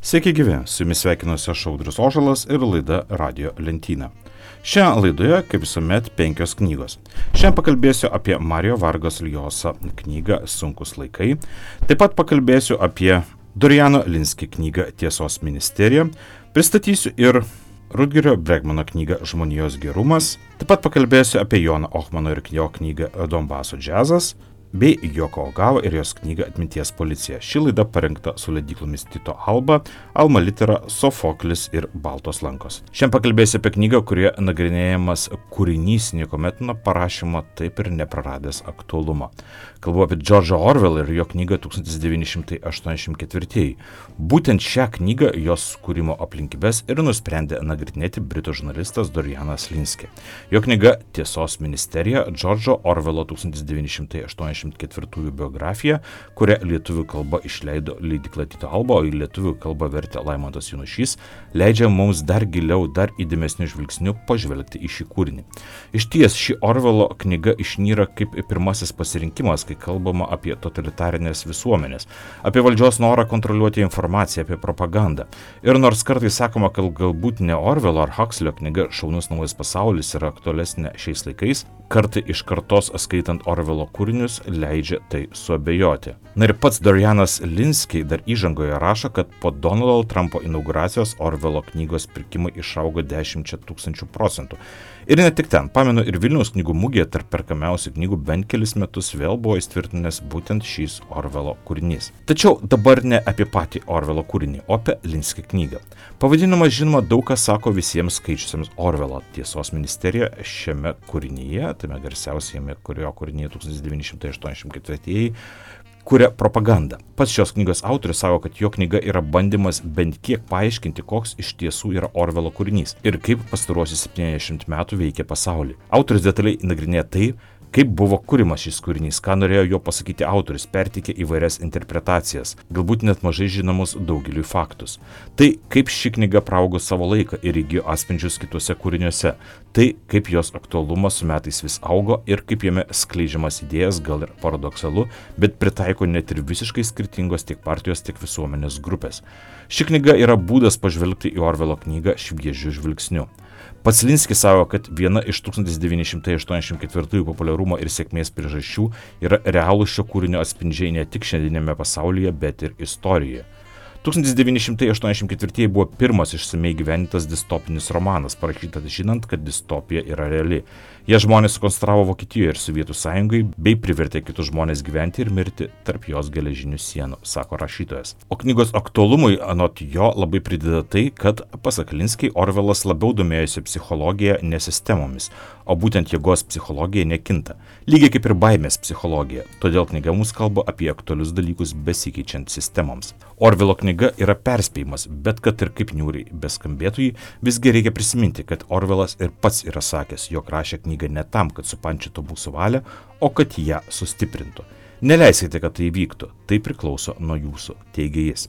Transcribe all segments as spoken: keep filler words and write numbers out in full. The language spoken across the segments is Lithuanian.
Sveiki gyvi, su jumis sveikinuosi aš Audrius Ožalas ir laida Radio lentyna. Šią laidoje, kaip visuomet, penkios knygos. Šiandien pakalbėsiu apie Mario Vargas Llosa knygą Sunkus laikai. Taip pat pakalbėsiu apie Doriano Linski knygą Tiesos ministerija. Pristatysiu ir Rutgerio Bregmano knygą Žmonijos gerumas. Taip pat pakalbėsiu apie Joną Ohmano ir jo knygą Donbaso džiazas, bei Joko Ogava ir jos knygą Atminties policija. Ši laida parengta su leidyklomis Tyto Alba, Alma Litera, Sofoklis ir Baltos lankos. Šiandien pakalbėsiu apie knygą, kurioje nagrinėjamas kūrinys niekuomet nuo parašymo taip ir nepraradęs aktualumo. Kalbu apie George'ą Orwellą ir jo knygą tūkstantis devyni šimtai aštuoniasdešimt ketvirtieji. Būtent šią knygą, jos kūrimo aplinkybes ir nusprendė nagrinėti britų žurnalistas Dorianas Linski. Jo knyga Tiesos ministerija, George'o Orwello tūkstantis devyni šimtai aštuoniasdešimt ketvirtųjų biografija, kurią lietuvių kalba išleido leidykla Tyto Alba, o į lietuvių kalbą vertė Laimantas Jonušys, leidžia mums dar giliau, dar įdėmesnių žvilgsnių pažvelgti į šį kūrinį. Iš ties, ši Orwello knyga išnyra kaip pirmasis pasirinkimas, kai kalbama apie totalitarinės visuomenės, apie valdžios norą kontroliuoti informaciją, apie propagandą. Ir nors kartais sakoma, kad galbūt ne Orwello ar Huxleyo knyga Šaunus naujas pasaulis yra aktualesnė šiais laikais, kartai iš kartos skaitant Orwello kūrinius leidžia tai suabejoti. Na ir pats Dorianas Linski dar įžangoje rašo, kad po Donaldo Trumpo inauguracijos Orwello knygos pirkimai išaugo dešimčia tūkstančių procentų. Ir ne tik ten, pamenu, ir Vilniaus knygų mugėje tarp perkamiausių knygų bent kelis metus vėl buvo įtvirtinęs būtent šis Orwello kūrinys. Tačiau dabar ne apie patį Orwello kūrinį, o apie Linski knygą. Pavadinimas, žinoma, daug kas sako visiems skaičiusiems Orwello Tiesos ministerija šiame kūrinyje, tame garsiausiame kurio kūrinyje tūkstantis devyni šimtai aštuoniasdešimt ketvirtieji, kuria propagandą. Pats šios knygos autorius sako, kad jo knyga yra bandymas bent kiek paaiškinti, koks iš tiesų yra Orwello kūrinys ir kaip pastaruosius septyniasdešimt metų veikia pasaulį. Autorius detaliai nagrinėja tai, kaip buvo kūrimas šis kūrinys, ką norėjo jo pasakyti autorius, perteikė įvairias interpretacijas, galbūt net mažai žinomus daugeliui faktus. Tai, kaip ši knyga praugo savo laiką ir įgijo atspindžius kituose kūriniuose, tai, kaip jos aktualumas su metais vis augo ir kaip jame skleidžiamas idėjas, gal ir paradoksalu, bet pritaiko net ir visiškai skirtingos tiek partijos, tiek visuomenės grupės. Ši knyga yra būdas pažvelgti į Orwello knygą šviežiu žvilgsniu. Pats Linskis sako, kad viena iš tūkstantis devyni šimtai aštuoniasdešimt ketvirtųjų populiarumo ir sėkmės priežasčių yra realūs šio kūrinio atspindžiai ne tik šiandieniniame pasaulyje, bet ir istorijoje. tūkstantis devyni šimtai aštuoniasdešimt ketvirtieji buvo pirmas išsamei gyventas distopinis romanas, parašytas žinant, kad distopija yra reali. Jie žmonės sukonstravo Vokietijoje ir Sovietų sąjungai, bei privertė kitus žmonės gyventi ir mirti tarp jos geležinių sienų, sako rašytojas. O knygos aktualumui anot jo labai prideda tai, kad, pasak Linski, Orwellas labiau domėjosi psichologija, ne sistemomis, o būtent jėgos psichologija nekinta, lygiai kaip ir baimės psichologija. Todėl knyga mums kalba apie aktualius dalykus besikeičiant sistemoms. Orwello knyga yra perspėjimas, bet kad ir kaip niūriai beskambėtų jį, visgi reikia prisiminti, kad Orwellas ir pats yra sakęs, jog rašė knygą ne tam, kad supančytų mūsų valią, o kad ją sustiprintų. Neleiskite, kad tai vyktų, tai priklauso nuo jūsų, teigia jis.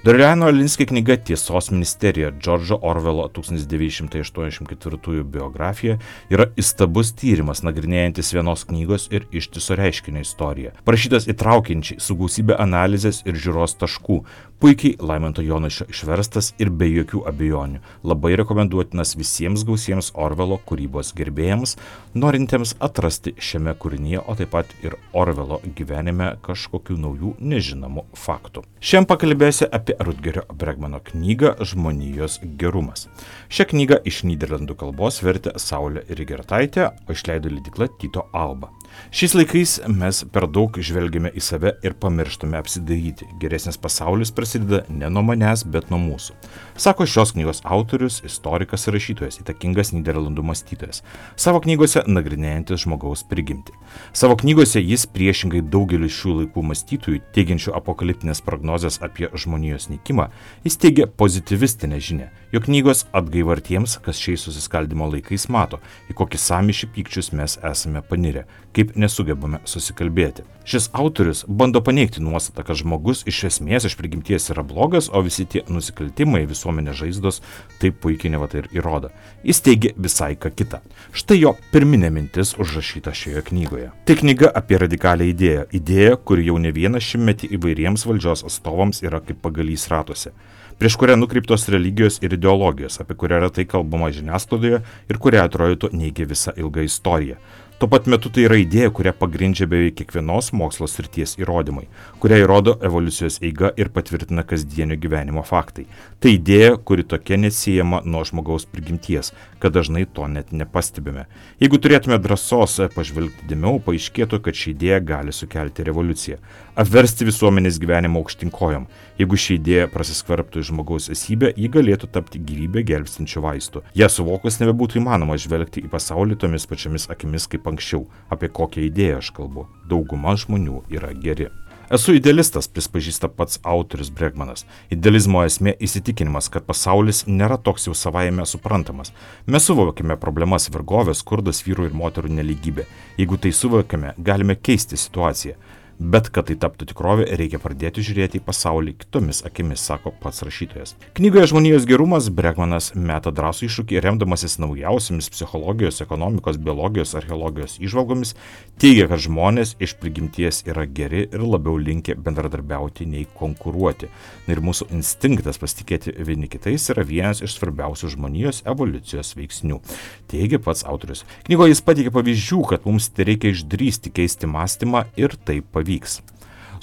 Doriano Linski knyga Tiesos ministerija, George'o Orwello tūkstantis devyni šimtai aštuoniasdešimt ketvirtųjų biografija yra įstabus tyrimas, nagrinėjantis vienos knygos ir ištiso reiškinio istoriją. Parašytas įtraukiančiai, su gausybė analizės ir žiūros taškų, puikiai Laimanto Jonušio išverstas ir be jokių abejonių. Labai rekomenduotinas visiems gausiems Orwello kūrybos gerbėjams, norintiems atrasti šiame kūrinyje, o taip pat ir Orwello gyvenime kažkokių naujų nežinomų faktų. Šiandien pakalbėsiu apie Rutgerio Bregmano knygą Žmonijos gerumas. Šią knygą iš Nyderlandų kalbos vertė Saulė Rygertaitė, o išleido leidykla Tyto Alba. Šiais laikais mes per daug žvelgiame į save ir pamirštame apsidairyti. Geresnis pasaulis prasideda ne nuo manęs, bet nuo mūsų. Sako šios knygos autorius, istorikas ir rašytojas, įtakingas Nyderlandų mąstytojas, savo knygose nagrinėjantis žmogaus prigimtį. Savo knygose jis priešingai daugeliu šių laikų mąstytojų, teigiančių apokaliptinės prognozes apie žmonijos nykimą, jis teigia pozityvistinę žinią, jog knygos atgaiva tiems, kas šiais susiskaldimo laikais mato, į kokį sąmyšį pykčius mes esame panirę, kaip nesugebame susikalbėti. Šis autorius bando paneigti nuostatą, kad žmogus iš esmės iš prigimties yra blogas, o visi tie nusikaltimai, visuomenės žaizdos taip puikiai nevatai ir įrodo. Jis teigia visai ką kitą. Štai jo pirminė mintis užrašyta šioje knygoje. Tai knyga apie radikalią idėją. Idėja, kuri jau ne vieną šimtmetį įvairiems valdžios atstovams yra kaip pagalys ratuose. prieš kurią nukreiptos religijos ir ideologijos, apie kurią retai kalbama žiniasklaidoje ir kurią atrodytų neigia visą ilgą istoriją. Tuo pat metu tai yra idėja, kurią pagrindžia beveik kiekvienos mokslo srities įrodymai, kurią įrodo evoliucijos eiga ir patvirtina kasdienio gyvenimo faktai. Tai idėja, kuri tokia neatsiejama nuo žmogaus prigimties, kad dažnai to net nepastebime. Jeigu turėtume drąsos pažvelgti dėmiau, paaiškėtų, kad ši idėja gali sukelti revoliuciją, apversti visuomenės gyvenimą aukštyn kojom. Jeigu ši idėja prasiskverbtų į žmogaus esybę, ji galėtų tapti gyvybę gelbstinčiu vaistu. Ja suvokus nebebūtų įmanoma žvelgti į pasaulį tomis pačiamis akimis kaip anksčiau. Apie kokią idėją aš kalbu? Dauguma žmonių yra geri. Esu idealistas, prispažįsta pats autorius Bregmanas. Idealizmo esmė įsitikinimas, kad pasaulis nėra toks jau savaime suprantamas. Mes suvokime problemas vergovės, skurdas, vyrų ir moterų nelygybė. Jeigu tai suvokime, galime keisti situaciją. Bet kad tai taptų tikrovė, reikia pradėti žiūrėti į pasaulį kitomis akimis, sako pats rašytojas. Knygoje Žmonijos gerumas Bregmanas meta drąsų iššūkį, remdamasis naujausiamis psichologijos, ekonomikos, biologijos, archeologijos įžvalgomis, teigia, kad žmonės iš prigimties yra geri ir labiau linkę bendradarbiauti nei konkuruoti. Ir mūsų instinktas pasitikėti vieni kitais yra vienas iš svarbiausių žmonijos evoliucijos veiksnių, teigia pats autorius. Knygoje jis pateikia pavyzdžių, kad mums reikia išdrįsti keisti mąstymą ir tai pavyzdžių. Vyks.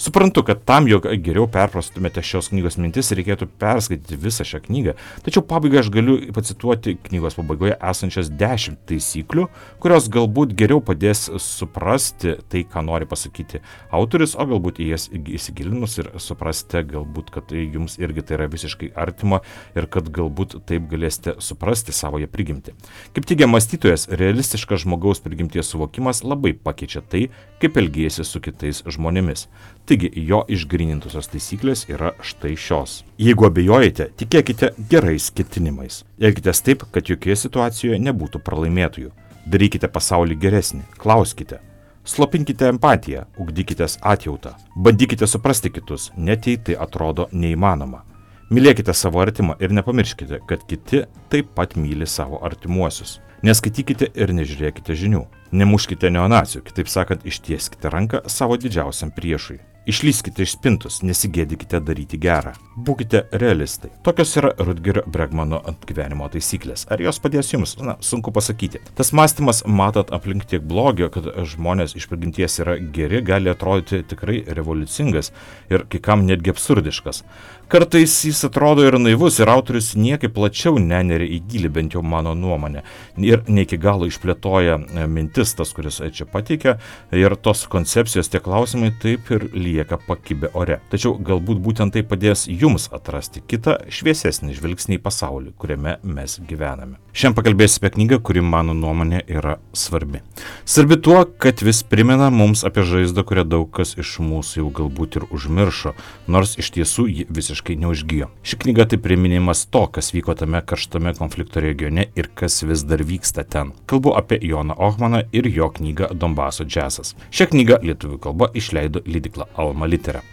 Suprantu, kad tam, jog geriau perprastumėte šios knygos mintis, reikėtų perskaityti visą šią knygą, tačiau pabaigai aš galiu pacituoti knygos pabaigoje esančias dešimt taisyklių, kurios galbūt geriau padės suprasti tai, ką nori pasakyti autorius, o galbūt į jas įsigilinus ir suprasite galbūt, kad jums irgi tai yra visiškai artima ir kad galbūt taip galėsite suprasti savoje prigimtį. Kaip teigia mąstytojas, realistiškas žmogaus prigimties suvokimas labai pakeičia tai, kaip elgiesi su kitais žmonėmis. Taigi jo išgrynintusios taisyklės yra štai šios. Jeigu abejojate, tikėkite gerais ketinimais. Elkitės taip, kad jokioje situacijoje nebūtų pralaimėtojų. Darykite pasaulį geresnį, klauskite. Slopinkite empatiją, ugdykitės atjautą. Bandykite suprasti kitus, net jei tai atrodo neįmanoma. Mylėkite savo artimą ir nepamirškite, kad kiti taip pat myli savo artimuosius. Neskaitykite ir nežiūrėkite žinių. Nemuškite neonacių, kitaip sakant, ištieskite ranką savo didžiausiam priešui. Išlyskite iš spintos, nesigėdykite daryti gerą. Būkite realistai. Tokios yra Rutgerio Bregmano gyvenimo taisyklės. Ar jos padės jums? Na, sunku pasakyti. Tas mąstymas, matot aplink tiek blogio, kad žmonės iš prigimties yra geri, gali atrodyti tikrai revoliucingas ir kai kam netgi absurdiškas. Kartais jis atrodo ir naivus, ir autorius niekaip plačiau neneria į gilį, bent jau mano nuomonė. Ir ne iki galo išplėtoja mintis tas, kuris čia pateikia, ir tos koncepcijos, tie klausimai taip ir lieka pakibę ore. Tačiau galbūt būtent tai padės jums atrasti kitą šviesesnį žvilgsnį į pasaulį, kuriame mes gyvename. Šiandien pakalbėsiu apie knygą, kuri mano nuomonė yra svarbi. Svarbi tuo, kad vis primena mums apie žaizdą, kurią daug kas iš mūsų jau galbūt ir užmiršo, nors iš tiesų ji visiškai neužgijo. Ši knyga tai priminimas to, kas vyko tame karštame konflikto regione ir kas vis dar vyksta ten. Kalbu apie Joną Ohmaną ir jo knygą Donbaso džiazas. Šią knygą lietuvių kalba išleido leidykla Alma Litera.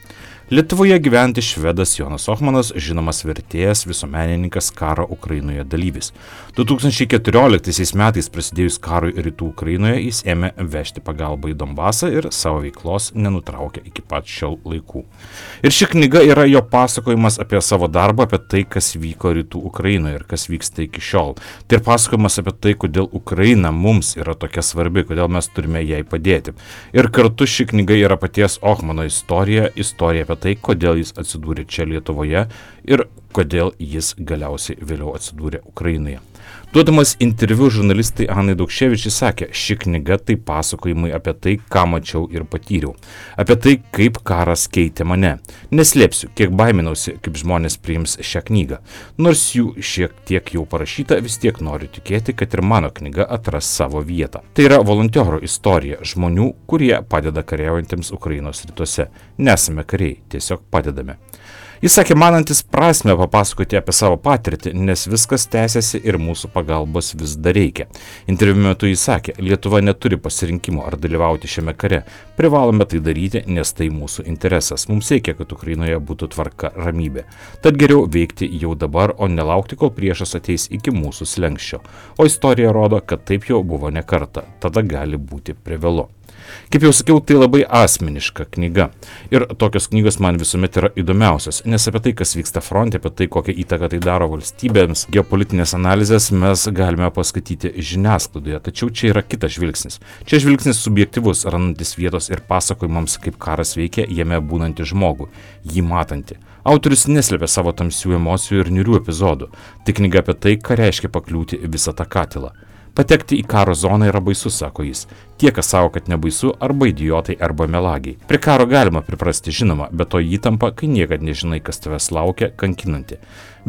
Lietuvoje gyventi švedas Jonas Ohmanas, žinomas vertėjas, visuomenininkas, karo Ukrainoje dalyvis. du tūkstančiai keturioliktaisiais metais prasidėjus karui rytų Ukrainoje jis ėmė vežti pagalbą į Donbasą ir savo veiklos nenutraukė iki pat šiol laikų. Ir ši knyga yra jo pasakojimas apie savo darbą, apie tai, kas vyko rytų Ukrainoje ir kas vyksta iki šiol. Tai ir pasakojimas apie tai, kodėl Ukraina mums yra tokia svarbi, kodėl mes turime jai padėti. Ir kartu ši knyga yra paties Ohmano istorija, istorija apie tai, kodėl jis atsidūrė čia Lietuvoje ir kodėl jis galiausiai vėliau atsidūrė Ukrainoje. Duodamas interviu žurnalistai Anai Daukševičiai sakė, ši knyga tai pasakojimai apie tai, ką mačiau ir patyriau. Apie tai, kaip karas keitė mane. Neslėpsiu, kiek baiminausi, kaip žmonės priims šią knygą. Nors jų šiek tiek jau parašyta, vis tiek noriu tikėti, kad ir mano knyga atras savo vietą. Tai yra volontierų istorija žmonių, kurie padeda kariaujantiems Ukrainos rytuose. Nesame kariai, tiesiog padedame. Jis sakė, manantis prasme papasakoti apie savo patirtį, nes viskas tęsiasi ir mūsų pagalbos vis dar reikia. Interviu metu jis sakė, Lietuva neturi pasirinkimo ar dalyvauti šiame kare. Privalome tai daryti, nes tai mūsų interesas. Mums reikia, kad Ukrainoje būtų tvarka, ramybė. Tad geriau veikti jau dabar, o nelaukti, kol priešas ateis iki mūsų slenkščio. O istorija rodo, kad taip jau buvo ne kartą. Tada gali būti privėlu. Kaip jau sakiau, tai labai asmeniška knyga. Ir tokios knygos man visuomet yra įdomiausios, nes apie tai, kas vyksta fronte, apie tai, kokią įtaką tai daro valstybėms, geopolitinės analizės mes galime paskaityti žiniasklaidoje. Tačiau čia yra kitas žvilgsnis. Čia žvilgsnis subjektyvus, randantis vietos ir pasakojimams, kaip karas veikia jame būnantį žmogų, jį matantį. Autorius neslėpia savo tamsių emocijų ir niūrių epizodų. Tai knyga apie tai, ką reiškia pakliūti visą tą katilą. Patekti į karo zoną yra baisu, sako jis. Tie, kas savo, kad nebaisu, arba idiotai, arba melagiai. Prie karo galima priprasti, žinoma, bet to įtampa, kai niekad nežinai, kas tavęs laukia, kankinanti.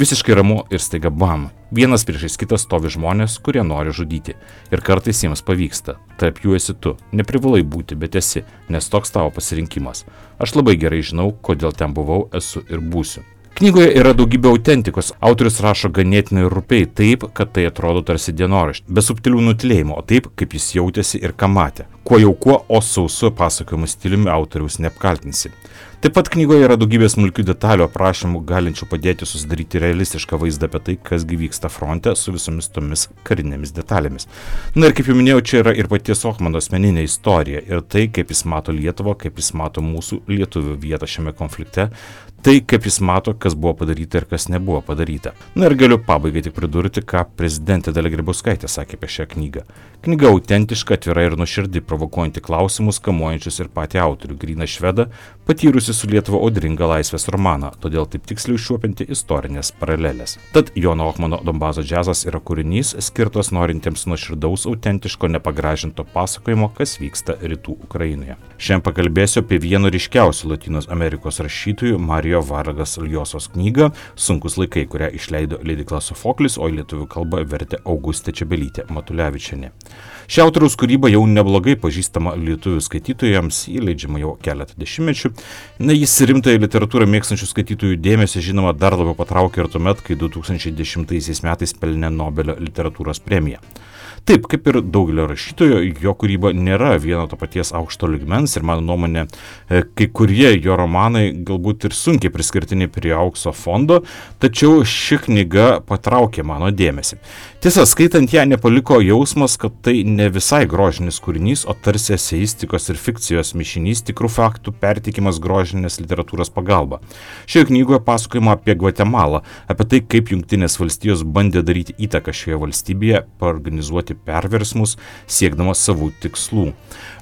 Visiškai ramu ir staiga bam. Vienas priešais kitą stovi žmonės, kurie nori žudyti. Ir kartais jiems pavyksta. Tarp jų esi tu. Neprivalai būti, bet esi, nes toks tavo pasirinkimas. Aš labai gerai žinau, kodėl ten buvau, esu ir būsiu. Knygoje yra daugybė autentikos. Autorius rašo ganėtinai rupiai, taip, kad tai atrodo tarsi dienoraštį, be subtilių nutilėjimų, o taip, kaip jis jautėsi ir ką matė. Kuo jau kuo, o sausu pasakojimų stiliumi autoriaus neapkaltinsi. Taip pat knygoje yra daugybė smulkių detalių aprašymų, galinčių padėti susidaryti realistišką vaizdą apie tai, kas gi vyksta fronte su visomis tomis karinėmis detalėmis. Na ir kaip jau minėjau, čia yra ir paties Ohmano asmeninė istorija ir tai, kaip jis mato Lietuvą, kaip jis mato mūsų lietuvių vietą šiame konflikte, tai, kaip jis mato, kas buvo padaryta ir kas nebuvo padaryta. Na ir galiu pabaigai tik pridurti, ką prezidentė Dalia Grybauskaitė sakė apie šią knygą. Knyga autentiška, atvira ir nuoširdi, provokuojanti klausimus, kamuojančius ir patį autorių, gryną švedą, patyrusi su Lietuva audringą laisvės romaną, todėl taip tiksliai užčiuopianti istorinės paralelės. Tad Jono Ohmano Donbaso džiazas yra kūrinys skirtas norintiems nuoširdaus, autentiško, nepagražinto pasakojimo, kas vyksta rytų Ukrainoje. Šiandien pakalbėsiu apie vieno ryškiausių Lotynų Amerikos rašytojų Mario Vargas Ljosos knygą Sunkūs laikai, kurią išleido leidykla Sofoklis, o į lietuvių kalbą vertė Augustė Čebelytė Matulevičienė. Ši autoriaus kūryba jau neblogai pažįstama lietuvių skaitytojams, jį leidžiama jau keletą dešimtmečių. Na, jis rimtąją literatūrą mėgstančių skaitytojų dėmesį, žinoma, dar labiau patraukė ir tuomet, kai du tūkstančiai dešimtaisiais metais pelnė Nobelio literatūros premiją. Taip, kaip ir daugelio rašytojų, jo kūryba nėra vieno to paties aukšto lygmens ir mano nuomonė, kai kurie jo romanai galbūt ir sunkiai priskirtini prie aukso fondo, tačiau ši knyga patraukė mano dėmesį. Tiesa, skaitant ją nepaliko jausmas, kad tai ne visai grožinis kūrinys, o tarsi eseistikos ir fikcijos mišinys, tikrų faktų perteikimas grožinės literatūros pagalba. Šioje knygoje pasakojama apie Gvatemalą, apie tai, kaip Jungtinės valstijos bandė daryti įtaką šioje valstybėje, paorganizuoti perversmus, siekdamas savų tikslų.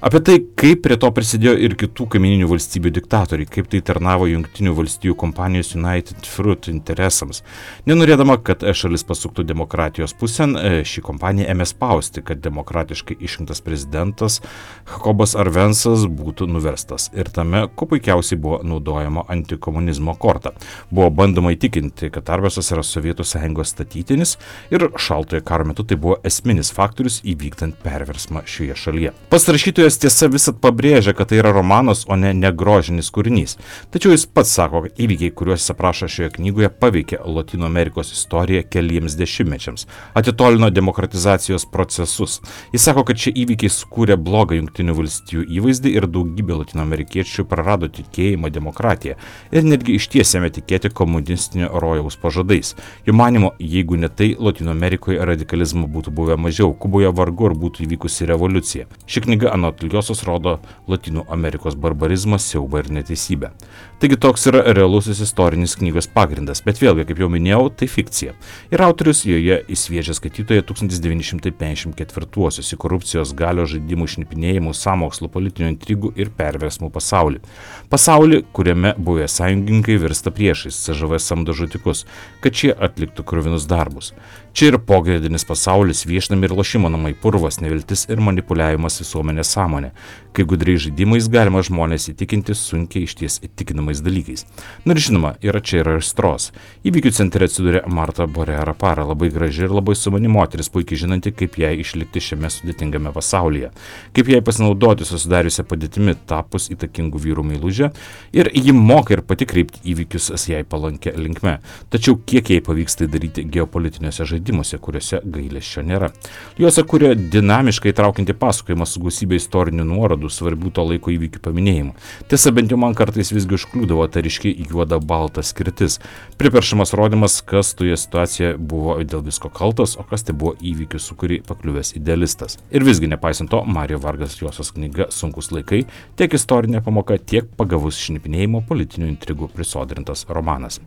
Apie tai, kaip prie to prisidėjo ir kitų kaimininių valstybių diktatoriai, kaip tai tarnavo Jungtinių valstijų kompanijos United Fruit interesams. Nenorėdama, kad šalis pasuktų demokratijos pusėn, ši kompanija ėmė spausti, kad demokratiškai išrinktas prezidentas Jakobas Arvensas būtų nuverstas. Ir tame, kuo puikiausiai buvo naudojama antikomunizmo korta. Buvo bandoma įtikinti, kad Arvensas yra Sovietų sąjungos statytinis ir šaltojo karo metu tai buvo esminis faktorius įvykdant perversmą šioje šalyje. Pats rašytojas tiesa visat pabrėžia, kad tai yra romanas, o ne negrožinis kūrinys. Tačiau jis pats sako, kad įvykiai, kuriuos jis aprašo šioje knygoje, paveikė Lotynų Amerikos istoriją keliems dešimtmečiams, atitolino demokratizacijos procesus. Jis sako, kad šie įvykiai sukūrė blogą Jungtinių valstijų įvaizdį ir daugybė Lotynų amerikiečių prarado tikėjimą demokratiją ir netgi ištiesėme tikėti komunistinio rojaus pažadais. Jo manimo, jeigu ne tai, Lotynų Amerikoje radikalizmo būtų buvę mažiau, Kuboje vargu ar būtų įvykusi revoliucija. Ši knyga anot Ljosos rodo Lotynų Amerikos barbarizmą, siaubą ir neteisybę. Taigi toks yra realusis istorinis knygos pagrindas, bet vėlgi, kaip jau minėjau, tai fikcija. Ir autorius joje įsviedžia skaitytoje tūkstantis devyni šimtai penkiasdešimt ketvirtuosius į korupcijos, galios žaidimų, šnipinėjimų, sąmokslo, politinių intrigų ir perversmų pasaulį. Pasaulį, kuriame buvę sąjungininkai virsta priešais, C Ž V samdo žudikus, kad šie atliktų kruvinus darbus. Čia ir pogrindinis pasaulis, viešnami ir lošimo namai, purvas, neviltis ir manipuliavimas visuomenės sąmonė. Kai gudriai žaidimais galima žmonės įtikinti sunkiai išties įtikinamais dalykais. Na ir žinoma, yra čia ir aistros. Įvykių centre atsidūrė Marta Borė Rapara, labai graži ir labai sumani moteris, puikiai žinanti, kaip jai išlikti šiame sudėtingame pasaulyje, kaip jai pasinaudoti susidariusią padėtimi tapus įtakingų vyrų meilužę, ir ji moka ir pati kreipti įvykius jai palankę linkme. Tačiau kiek jai pavyks tai daryti geopolitiniuose žaidimuose, kuriuose gailesčio nėra. Lijosa kuria dinamiškai traukiantį pasakojimą su gausybė istorinių nuorodų, svarbių to laiko įvykių paminėjimų. Tiesa, bent jau man kartais visgi užkliūdavo ta ryški juoda balta skirtis. Priperšamas rodymas, kas toje situacijoje buvo dėl visko kaltas, o kas tai buvo įvykių, su kurį pakliuvęs idealistas. Ir visgi, nepaisant to, Mario Vargas Ljosos knyga Sunkus laikai tiek istorinė pamoka, tiek pagavus šnipinėjimo politinių intrigų prisodrintas romanas.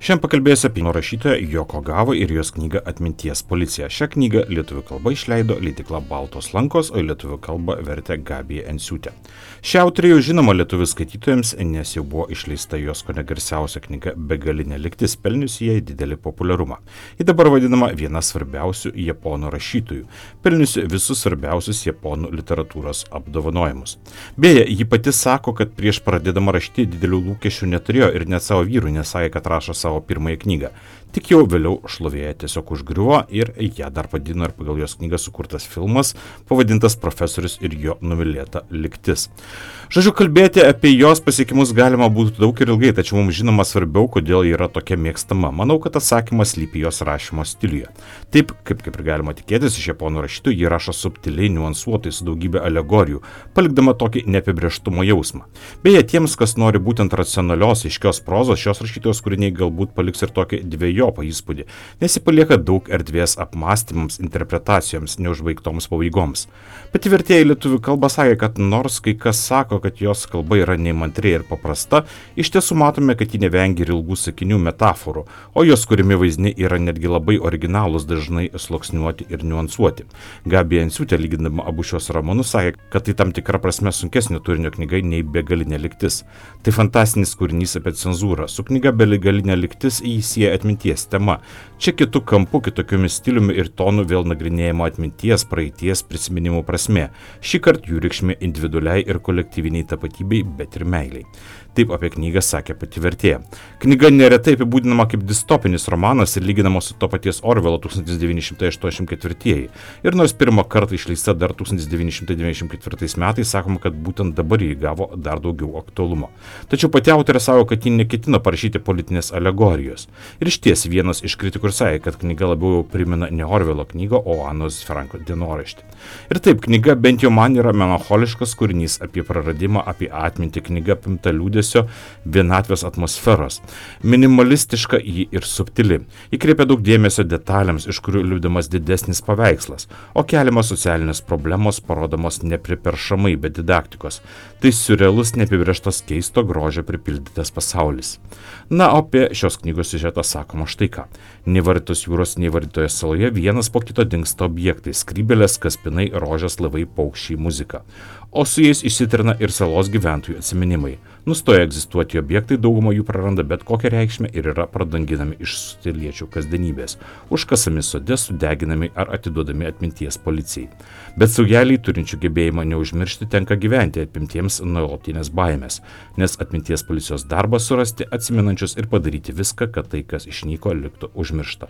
Šiandien pakalbėsiu apie rašytoją Joko Gavą ir jos knygą Atminties policija. Šią knygą lietuvių kalba išleido leidykla Baltos lankos, o lietuvių kalba vertė Gabija Enciūtė. Šią autorę jau žinoma lietuvių skaitytojams, nes jau buvo išleista jos kone garsiausia knyga Begalinė lygtis, pelniusi jai didelį populiarumą. Ji dabar vadinama viena svarbiausių japonų rašytojų, pelniusi visus svarbiausius japonų literatūros apdovanojimus. Beje, ji pati sako, kad prieš pradėdama rašyti didelių lūkesčių neturėjo ir net savo vyrui nesakė, kad rašo savo pirmąją knygą. Tik jau vėliau šlovėje tiesiog užgriuvo ir ją dar padino ir pagal jos knygą sukurtas filmas, pavadintas Profesorius ir jo numylėta lygtis. Žodžiu, kalbėti apie jos pasiekimus galima būtų daug ir ilgai, tačiau mums žinoma svarbiau, kodėl ji yra tokia mėgstama. Manau, kad atsakymas slypi jos rašymo stiliuje. Taip, kaip, kaip ir galima tikėtis, iš japonų rašytojų ji rašo subtiliai, niuansuotai, su daugybė alegorijų, palikdama tokį neapibrėžtumo jausmą. Beje, tiems, kas nori būtent racionalios, aiškios prozos, šios rašytojos kūriniai galbūt paliks ir tokį dviejopą įspūdį, nes ji palieka daug erdvės apmąstymams, interpretacijoms, neužbaigtoms pabaigoms. Pati vertėja į lietuvių kalbą sakė, kad nors kai kas sako, kad jos kalba yra neįmantri ir paprasta, iš tiesų matome, kad ji nevengia ir ilgų sakinių metaforų, o jos kūrimi vaizdiniai yra netgi labai originalūs, dažnai sluoksniuoti ir niuansuoti. Gabija Enciūtė, lygindama abu šios romanus, sakė, kad tai tam tikra prasme sunkesnio turinio knyga nei Begalinė lygtis. Tai fantastinis kūrinys apie cenzūrą. Su knyga Begalinė lygtis jį sieja atminties tema. Čia kitų kampų, kitokiomis stiliumi ir tonu vėl nagrinėjama atminties, praeities, prisiminimų prasme. Šį kartą jų reikšmė individualiai ir kolektyviniai tapatybei, bet ir meiliai. Taip apie knygą sakė pati vertėja. Knyga neretai apibūdinama kaip distopinis romanas ir lyginama su to paties Orvelo tūkstantis devyni šimtai aštuoniasdešimt ketvirtieji. Ir nors pirmą kartą išleista dar tūkstantis devyni šimtai devyniasdešimt ketvirtais metais, sakoma, kad būtent dabar jį gavo dar daugiau aktualumo. Tačiau pati autorė savo, kad ji neketino parašyti politinės alegorijos. Ir išties vienas iš kritikų sakė, kad knyga labiau primena ne Orvelo knygą, o Anos Franko dienoraštį. Ir taip, knyga bent jau man yra melancholiškas kūrinys apie praradimą, apie atmintį, knyga apimta liūdesio, vienatvės atmosferos. Minimalistiška ji ir subtili. Įkreipia daug dėmesio detalėms, iš kurių liūdimas didesnis paveikslas, o keliamos socialinės problemos parodomos nepriperšamai, be didaktikos. Tai surrealus, neapibrėžtas, keisto grožio pripildytas pasaulis. Na, o apie šios knygos siužetą sakoma štai ką. Nevarytos jūros, nevarytoje saloje vienas po kito dingsta objektai, skrybėlės, kaspinai, rožės, laivai, paukščiai, muzika. O su jais išsitrina ir salos gyventojų atsiminimai. Nustoja egzistuoti objektai, dauguma jų praranda bet kokią reikšmę ir yra pradanginami iš sutiliečių kasdienybės, užkasami sode, sudeginami ar atiduodami atminties policijai. Bet saugeliai turinčių gebėjimą neužmiršti tenka gyventi apimtiems nuolatinės baimės, nes atminties policijos darbas surasti atsiminančius ir padaryti viską, kad tai, kas išnyko, liktų užmiršta.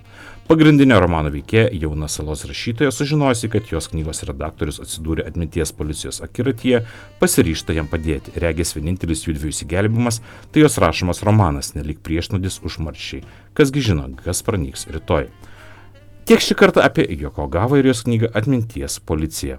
Pagrindinė romano veikėja, jauna salos rašytoja, sužinojusi, kad jos knygos redaktorius atsidūrė atminties policijos akiratyje, pasiryžta jam padėti. Regis vienintelis jų dviejų įsigelbimas, tai jos rašomas romanas, nelyg priešnodis užmarščiai. Kasgi žino, kas pranyks rytoj. Tiek šį kartą apie Joko Gavą ir jos knygą Atminties policija.